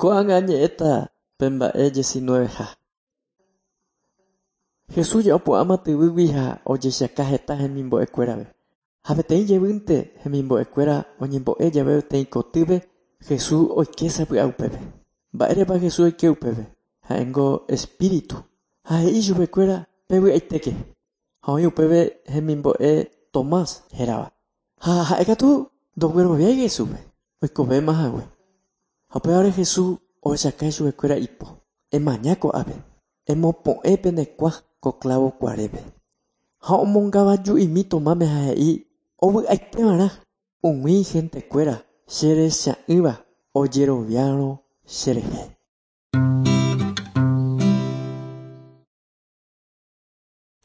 Ko'ág̃a añe'ẽta pe mba'e diecinueveha. Jesús opu'ãma tyvýgui ha ojechaka heta hemimbo'ekuérape. Ha peteĩ jevýnte hemimbo'ekuéra oñembo'e jave peteĩ kotýpe, Jesús oike sapy'a upépe. Mba'érepa Jesús oike upépe? Ha'éngo espíritu. Ha he'i chupekuéra pevy'aitéke. Ha oĩ upépe hemimbo'e Tomás hérava. Ha ha'ékatu ndogueroviái Jesúspe, oikovéma hague. Ha upévare Jesús ohechaka chupekuéra ipo. Emaña ko'ápe, emopo'ẽ pene kuã ko clavo kuarépe. Ha omongavaju'imi Tomáme ha he'i ovy'aiteva'erã umi gentekuéra cherecha'ỹva ojeroviárõ cherehe.